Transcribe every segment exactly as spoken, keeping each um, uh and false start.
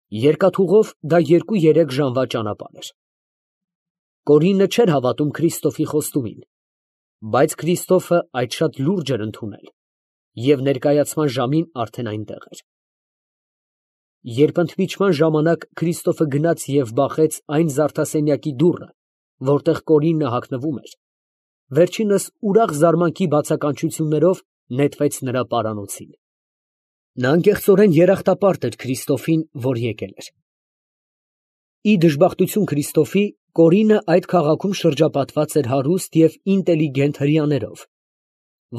Երկաթուղով դա երկու֊երեք ժամվա ճանապարհ էր։ Կորինը չէր հավատում Քրիստոֆի խոստումին, բայց Քրիստոֆը այդ շատ լուրջ էր ընդունել և ներկայացման ժամին արդեն այնտեղ էր։ Երբ ընդմիջման ժամանակ Քրիստոֆը գնաց և բախեց այն զարդասենյակի դուռը, որտեղ Կորինը հագնվում էր, վերջինս ուրախ զարմանքի բացականչություններով նետվեց նրա պարանոցին։ Նա անկեղծորեն երախտապարտ էր Քրիստոֆին, որ եկել էր։ Ի դժբախտություն Քրիստոֆի, Կորինը այդ քաղաքում շրջապատված էր հարուստ և ինտելիգենտ հրեաներով,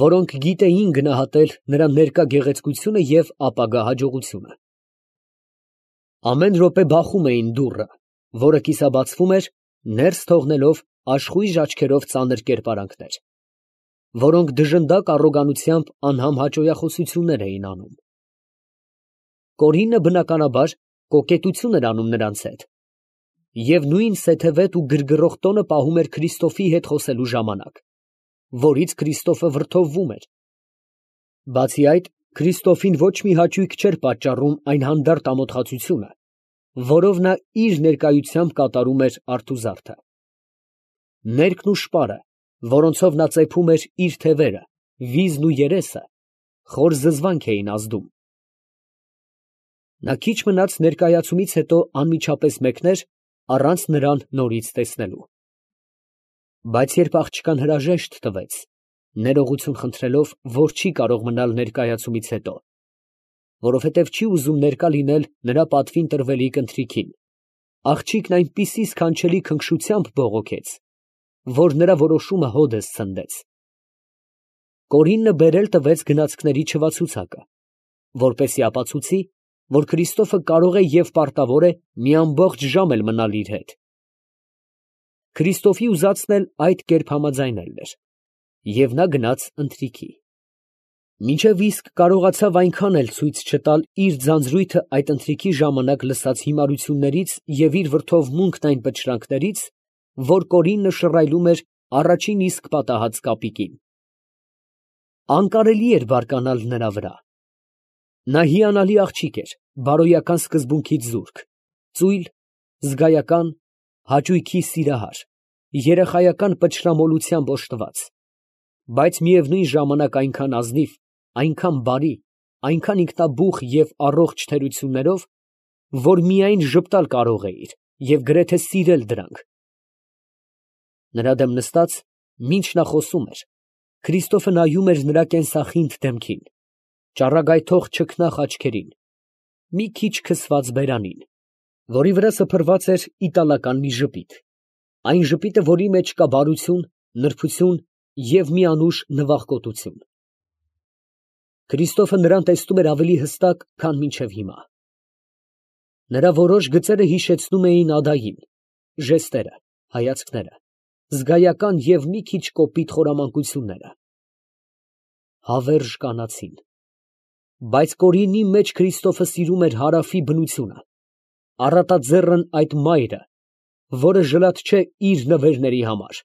որոնք գիտեին գնահատել նրա ներկա գեղեցկությունը և ապագա հաջողությունը։ Ամեն րոպե բախում էին դուռը, որը կիսաբացվում էր, ներս թողնելով աշխույժ աչքերով ծանր կերպարանքներ, որոնք դժնդակ առոգանությամբ անհամ հաճոյախոսություններ էին անում։ Կորինը, բնականաբար, կոկետություն էր անում նրանց հետ և նույն սեթևետ ու գրգռող տոնը պահում էր Քրիստոֆի հետ խոսելու ժամանակ, որից Քրիստոֆը վրդովվում էր։ Բացի այդ, Քրիստոֆին ոչ մի հաճույք չէր պատճառում այն հանդարտ ամոթխածությունը, որով նա իր ներկայությամբ կատարում էր արթուզարդը։ Ներկն ու շպարը, որոնցով նա ծեփում էր իր թևերը, վիզն ու երեսը, խոր զզվանք էին ազդում։ Նա քիչ մնաց ներկայացումից հետո անմիջապես մեկներ, առանց նրան նորից տեսնելու։ Բայց երբ աղջկան հրաժեշտ տվեց, ներողություն խնդրելով, որ չի կարող մնալ ներկայացումից հետո, որովհետև չի ուզում ներկա լինել նրա պատվին տրվելիք ընթրիքին, աղջիկն այնպիսի սքանչելի քնքշությամբ բողոքեց, որ նրա որոշումը հօդս ցնդեց։ Կորինը բերել տվեց գնացքների չվացուցակը, որպեսզի ապացուցի, որ Քրիստոֆը կարող է և պարտավոր է մի ամբողջ ժամ էլ մնալ իր հետ։ Քրիստոֆի ուզածն էլ այդ կերպ համաձայնելն էր, և նա գնաց ընթրիքի։ Մինչև իսկ կարողացավ այնքան էլ ցույց չտալ իր ձանձրույթը այդ ընթրիքի ժամանակ լսած հիմարություններից և իր վրդովմունքն այն պչրանքներից, որ Կորինը շռայլում էր առաջին իսկ պատահած կապիկին։ Անկարելի էր բարկանալ նրա վրա։ Նա հիանալի աղջիկ էր, բարոյական սկզբունքից զուրկ, ծույլ, զգայական, հաճույքի սիրահար, երեխայական պչրամոլությամբ օժտված, բայց միևնույն ժամանակ այնքան ազնիվ, այնքան բարի, այնքան ինքնաբուխ և առողջ թերություններով, որ միայն ժպտալ կարող էիր և գրեթե սիրել դրանք։ Նրա դեմ նստած, մինչ նա խոսում էր, Քրիստոֆը նայում էր նրա կենսախինդ դեմքին, ճառագայթող չքնաղ աչքերին, մի քիչ քսված բերանին, որի վրա սփռված էր իտալական մի ժպիտ, այն ժպիտը, որի մեջ կա բարություն, նրբություն և մի անուշ նվախկոտություն։ Քրիստոֆը նրան տեսնում էր ավելի հստակ, քան մինչև հիմա։ Նրա որոշ գծերը հիշեցնում էին Ադային, ժեստերը, հայացքները, զգայական և մի քիչ կոպիտ խորամանկությունները։ Հավերժ կանացին։ Բայց Կորինի մեջ Քրիստոֆը սիրում էր հարավի բնությունը, առատաձեռն այդ մայրը, որը ժլատ չէ իր նվերների համար,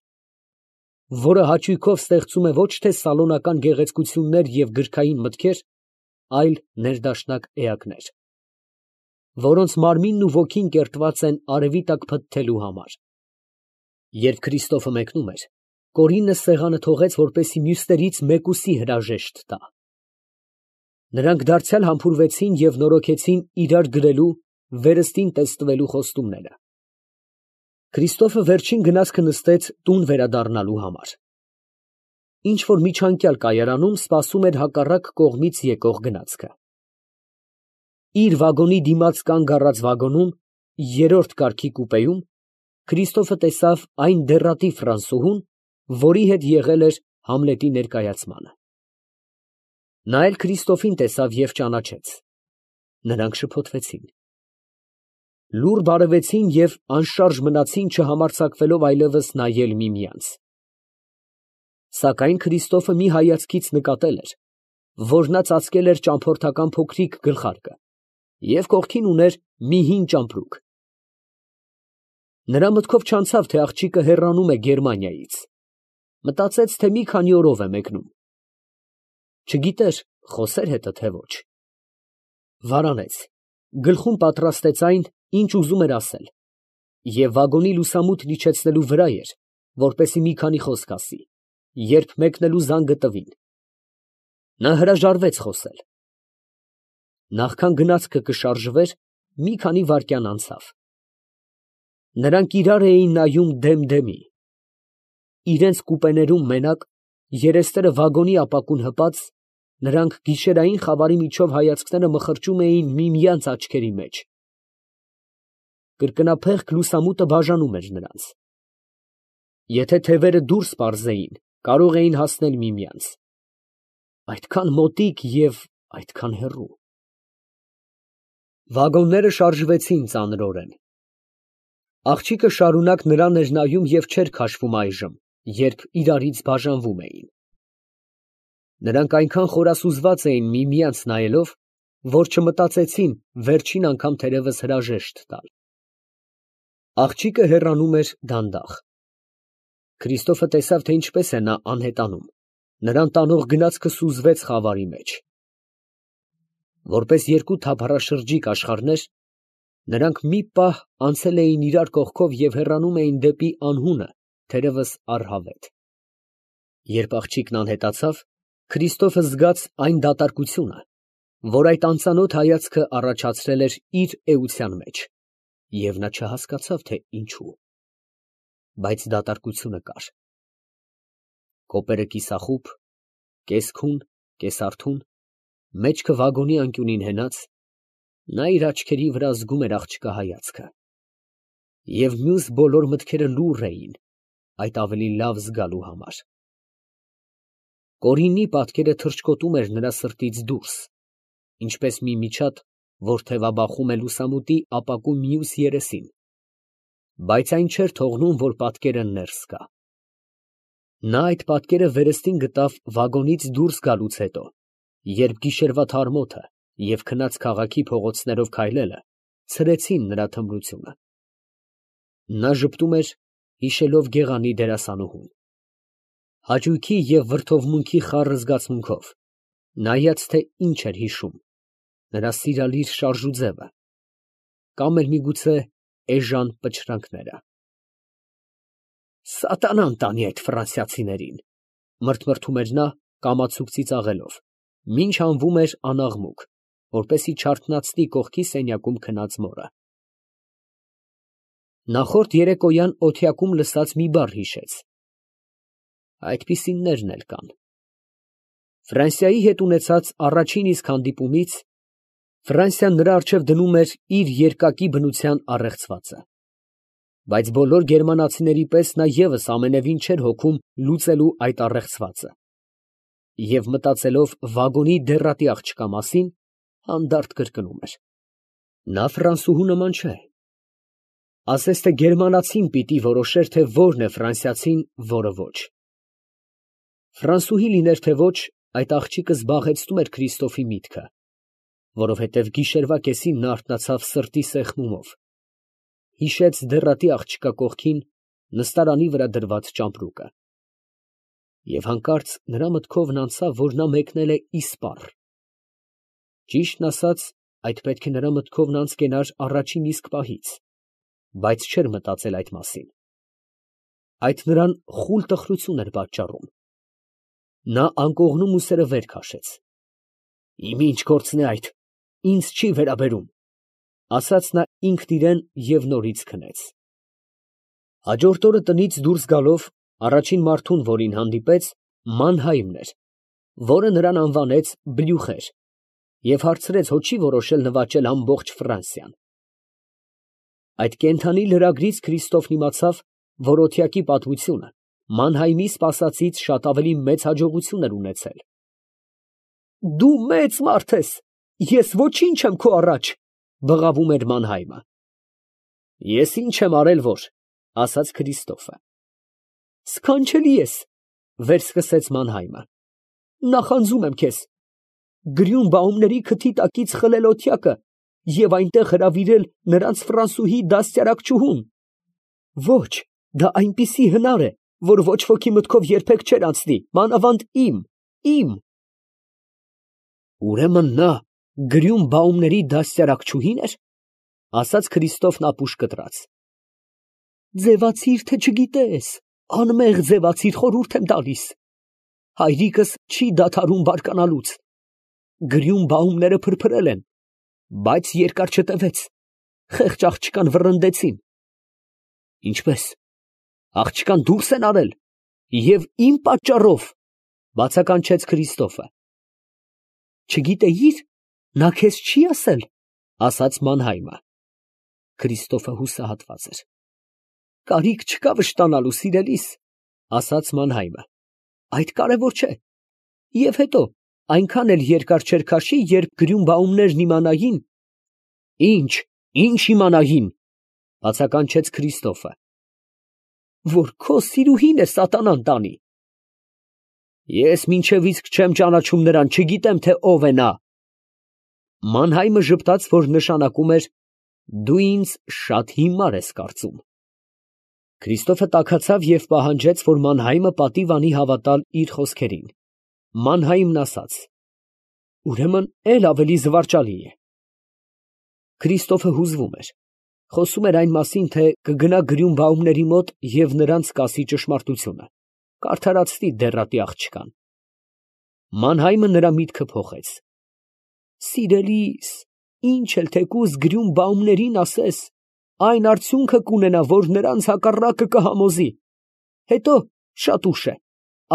որը հաճույքով ստեղծում է ոչ թե սալոնական գեղեցկություններ և գրքային մտքեր, այլ ներդաշնակ էակներ, որոնց մարմինն ու ոգին կերտված են արևի տակ փթթելու համար։ Երբ Քրիստոֆը մեկնում էր, Կորինը սեղանը թողեց, որպեսզի մյուսներից մեկուսի հրաժեշտ տա։ Նրանք դարձյալ համբուրվեցին և նորոգեցին իրար գրելու, վերստին տեստվելու խոստումները։ Քրիստոֆը վերջին գնացքը նստեց տուն վերադառնալու համար։ Ինչ֊որ միջանկյալ կայարանում սպասում էր հակառակ կողմից եկող գնացքը։ Իր վագոնի դիմաց կանգ առած վագոնում, երրորդ կարգի կուպեում, Քրիստոֆը տեսավ այն դեռատիպ ֆրանսուհուն, որի հետ եղել էր Համլետի ներկայացմանը։ Նա էլ Քրիստոֆին տեսավ և ճանաչեց։ Նրանք շփոթվեցին։ Լուռ բարևեցին և անշարժ մնացին, չհամարձակվելով այլևս նայել միմյանց։ Սակայն Քրիստոֆը մի հայացքից նկատել էր, որ նա ծածկել էր ճամփորդական փոքրիկ գլխարկը և կողքին ուներ մի հին ճամպրուկ։ Նրա մտքով չանցավ, թե աղջիկը հեռանում է Գերմանիայից, մտածեց, թե մի քանի օրով է մեկնում։ Չգիտեր խոսե՞ր հետը, թե ոչ։ Վարանեց գլխում պատրաստեց այն, ինչ ուզում էր ասել, և վագոնի լուսամուտն իջեցնելու վրա էր, որպեսզի մի քանի խոսք ասի, երբ մեկնելու զանգը տվին. նա հրաժարվեց խոսել։ Նախքան գնացքը կշարժվեր, մի քանի վայրկյան անցավ. նրանք իրար էին նայում դեմ֊դեմի, իրենց կուպեներում մենակ, երեսները վագոնի ապակուն հպած, նրանք գիշերային խավարի միջով հայացքները մխրճում էին միմյանց աչքերի մեջ։ Կրկնափեղկ լուսամուտը բաժանում էր նրանց։ Եթե թևերը դուրս պարզեին, կարող էին հասնել միմյանց։ Այդքան մոտիկ և այդքան հեռու։ Վագոնները շարժվեցին ծանրորեն։ Աղջիկը շարունակ նրան էր նայում և չէր քաշվում այժմ, երբ իրարից բաժանվում էին։ Նրանք այնքան խորասուզված էին միմյանց նայելով, որ չմտածեցին վերջին անգամ թերևս հրաժեշտ տալ։ Աղջիկը հեռանում էր դանդաղ։ Քրիստոֆը տեսավ, թե ինչպես է նա անհետանում, նրան տանող գնացքը սուզվեց խավարի մեջ։ Որպես երկու թափառաշրջիկ աշխարհներ, նրանք մի պահ անցել էին իրար կողքով և հեռանում էին դեպի անհունը, թերևս առհավետ։ Երբ աղջիկն անհետացավ, Քրիստոֆը զգաց այն դատարկությունը, որ այդ անծանոթ հայացքը առաջացրել էր իր էության մեջ, և նա չհասկացավ, թե ինչու։ Բայց դատարկությունը կար։ Կոպերը կիսախուբ, կես֊քուն, կես֊արթուն, մեջքը վագոնի անկյունին հենած, նա իր աչքերի վրա զգում էր աղջկա հայացքը։ Եվ մյուս բոլոր մտքերը լուռ էին այդ ավելի լավ զգալու համար։ Կորինի պատկերը թռչկոտում էր նրա սրտից դուրս, ինչպես մի միջատ, որ թևաբախում է լուսամուտի ապակու մյուս երեսին, բայց այն չէր թողնում, որ պատկերը ներս գա։ Նա այդ պատկերը վերստին գտավ վագոնից դուրս գալուց հետո, երբ գիշերվա թարմոթը և քնած քաղաքի փողոցներով քայլելը ցրեցին նրա թմրությունը։ Նա ժպտում էր, հիշելով գեղանի դերասանուհուն։ Հաճույքի և վրդովմունքի խառը զգացմունքով, նայած, թե ինչ էր հիշում, նրա սիրալիր շարժուձևը, կամ էլ միգուցե էժան պչրանքները։ Սատանան տանի այդ ֆրանսիացիներին, մրթմրթում էր նա կամացուկ ծիծաղելով, մինչ հանվում էր անաղմուկ, որպեսզի չարթնացնի կողքի սենյակում քնած մորը։ Նախորդ երեկոյան օթյակում լսած մի բառ հիշեց. այդպիսիններն էլ կան։ Ֆրանսիայի հետ ունեցած առաջին իսկ հանդիպումից Ֆրանսիան նրա առջև դնում էր իր երկակի բնության առեղծվածը։ Բայց բոլոր գերմանացիների պես նա ևս ամենևին չէր հոգում լուծելու այդ առեղծվածը։ Եվ մտածելով վագոնի դեռատի աղջկա մասին, հանդարտ կրկնում էր. նա ֆրանսուհու նման չէ։ Ասես թե գերմանացին պիտի որոշեր, թե որն է ֆրանսիացին, որը ոչ։ Ֆրանսուհի լիներ, թե ոչ, այդ աղջիկը զբաղեցնում էր Քրիստոֆի միտքը, որովհետև գիշերվա կեսին նա արթնացավ սրտի սեղմումով, հիշեց դեռատի աղջկա կողքին նստարանի վրա դրված ճամպրուկը։ Եվ հանկարծ նրա մտքովն անցավ, որ նա մեկնել է իսպառ։ Ճիշտն ասած, այդ պետք է նրա մտքովն անց կենար առաջին իսկ պահից, բայց չէր մտածել այդ մասին։ Այդ նրան խուլ տխրություն էր պատճառում։ Նա անկողնում ուսերը վեր քաշեց։ Իմ ինչ գործն է այդ, ինձ չի վերաբերում, ասաց նա ինքն իրեն և նորից քնեց։ Հաջորդ օրը տնից դուրս գալով, առաջին մարդուն, որին հանդիպեց, Մանհայմն էր, որը նրան անվանեց Բլյուխեր և հարցրեց, հո չի որոշել նվաճել ամբողջ Ֆրանսիան։ Այդ կենդանի լրագրից Քրիստոֆն իմացավ, որ օթյակի պատմությունը Մանհայմի սպասածից շատ ավելի մեծ հաջողություն էր ունեցել։ Դու մեծ մարդ ես, ես ոչինչ եմ քո առաջ, բղավում էր Մանհայմը։ Ես ինչ եմ արել, որ, ասաց Քրիստոֆը։ Սքանչելի ես, վերսկսեց Մանհայմը, նախանձում եմ քեզ, Գրյունբաումների քթի տակից խլել օթյակը և այնտեղ հրավիրել նրանց ֆրանսուհի դաստիարակչուհուն։ Ոչ, դա այնպիսի հնար է, որ ոչ ոքի մտքով երբեք չէր անցնի, մանավանդ իմ, իմ։ Ուրեմն նա Գրյուն բաումների դաստիարակչուհի՞ն էր, ասաց Քրիստոֆն ապուշ կտրած։ Ձևացիր, թե չգիտես, անմեղ ձևացիր, խորհուրդ եմ տալիս։ Հայրիկս չի դադարում բարկանալուց։ Գրյուն բաումները փրփրել են, բայց երկար չտևեց, խեղճ աղջկան վռնդեցին։ Ինչպես, աղջկան դուրս են արել, և իմ պատճառով, բացականչեց Քրիստոֆը։ Չգիտեի՞ր, նա քեզ չի ասել, ասաց Մանհայմը։ Քրիստոֆը հուսահատված էր։ Կարիք չկա վշտանալու, սիրելիս, ասաց Մանհայմը, այդ կարևոր չէ։ Եվ հետո, այնքան էլ երկար չէր քաշի, երբ գրյուն բաումներն իմանային։ Ինչ, ինչ իմանային, բացականչեց Քրիստոֆը։ Որ քո սիրուհին է սատանան տանի։ Ես մինչև իսկ չեմ ճանաչում նրան, չգիտեմ, թե ով է նա։ Մանհայմը ժպտաց, որ նշանակում էր դու ինձ շատ հիմար ես կարծում։ Քրիստոֆը տաքացավ և պահանջեց, որ Մանհայմը պատիվ անի հավատալ իր խոսքերին։ Մանհայմն ասաց. Ուրեմն էլ ավելի զվարճալի է։ Քրիստոֆը հուզվում էր, խոսում էր այն մասին, թե կգնա գրյուն բաումների մոտ և նրանց կասի ճշմարտությունը, կարդարացնի դեռատի աղջկան։ Մանհայմը նրա միտքը փոխեց. Սիրելիս, ինչ էլ թեկուզ գրյուն բաումներին ասես, այն արդյունքը կունենա, որ նրանց հակառակը կհամոզի։ Հետո շատ ուշ է,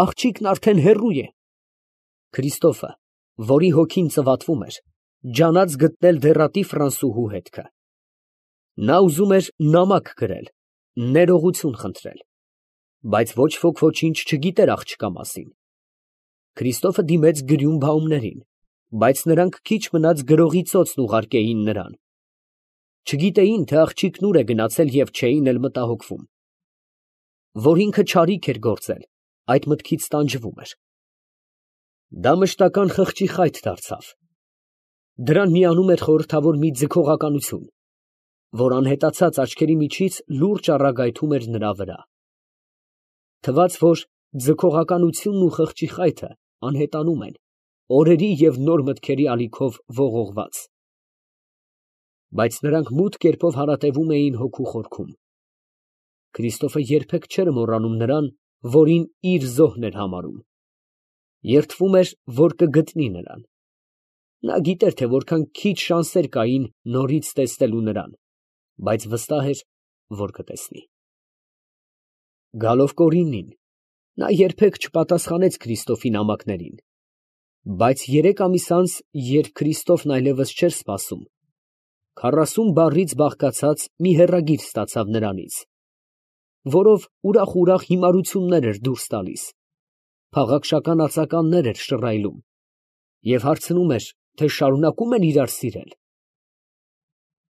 աղջիկն արդեն հեռու է։ Քրիստոֆը, որի հոգին ծվատվում էր, ջանաց գտնել դեռատի Ֆրանսուհու հետքը։ Նա ուզում էր նամակ գրել, ներողություն խնդրել, բայց ոչ ոք ոչինչ չգիտեր աղջկա մասին։ Քրիստոֆը դիմեց գրյուն բաումներին, բայց նրանք քիչ մնաց գրողի ծոցն ուղարկեին նրան։ Չգիտեին, թե աղջիկն ուր է գնացել և չէին էլ մտահոգվում։ Որ ինքը չարիք էր գործել, այդ մտքից տանջվում էր։ Դա մշտական խղճի խայթ դարձավ։ Դրան միանում էր խորհրդավոր մի ձգողականություն, որ անհետացած աչքերի միջից լուրջ առագայթում էր նրա վրա։ Թվաց, որ ձգողականությունն ու խղճի խայթը անհետանում են, օրերի և նոր մտքերի ալիքով ողողված։ Բայց նրանք մութ կերպով հարատևում էին հոգու խորքում։ Քրիստոֆը երբեք չէր մոռանում նրան, որին իր զոհն էր համարում։ Երդվում էր, որ կգտնի նրան։ Նա գիտեր, թե որքան քիչ շանսեր կային նորից տեսնելու նրան, բայց վստահ էր, որ կտեսնի։ Գալով Կորիննին, նա երբեք չպատասխանեց Քրիստոֆի նամակներին, բայց երեք ամիս անց, երբ Քրիստոֆն այլևս չէր սպասում, քառասուն բառից բաղկացած մի հեռագիր ստացավ նրանից, որով ուրախ֊ուրախ հիմարություններ էր դուրս տալիս, փաղաքշական ածականներ էր շռայլում և հարցնում էր, թե շարունակում են իրար սիրել։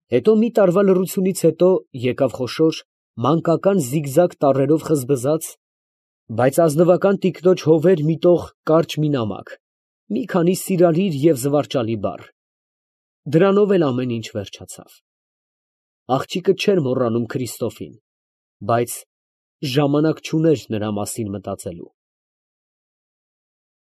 Հետո մի տարվա լռությունից հետո եկավ խոշոր, մանկական զիգզագ տառերով խզբզած, բայց ազնվական տիկնոջ հովեր միտող կարճ մի նամակ, մի քանի սիրալիր և զվարճալի բառ։ Դրանով էլ ամեն ինչ վերջացավ։ Աղջիկը չէր մոռանում Քրիստոֆին, բայց ժամանակ չուներ նրա մասին մտածելու։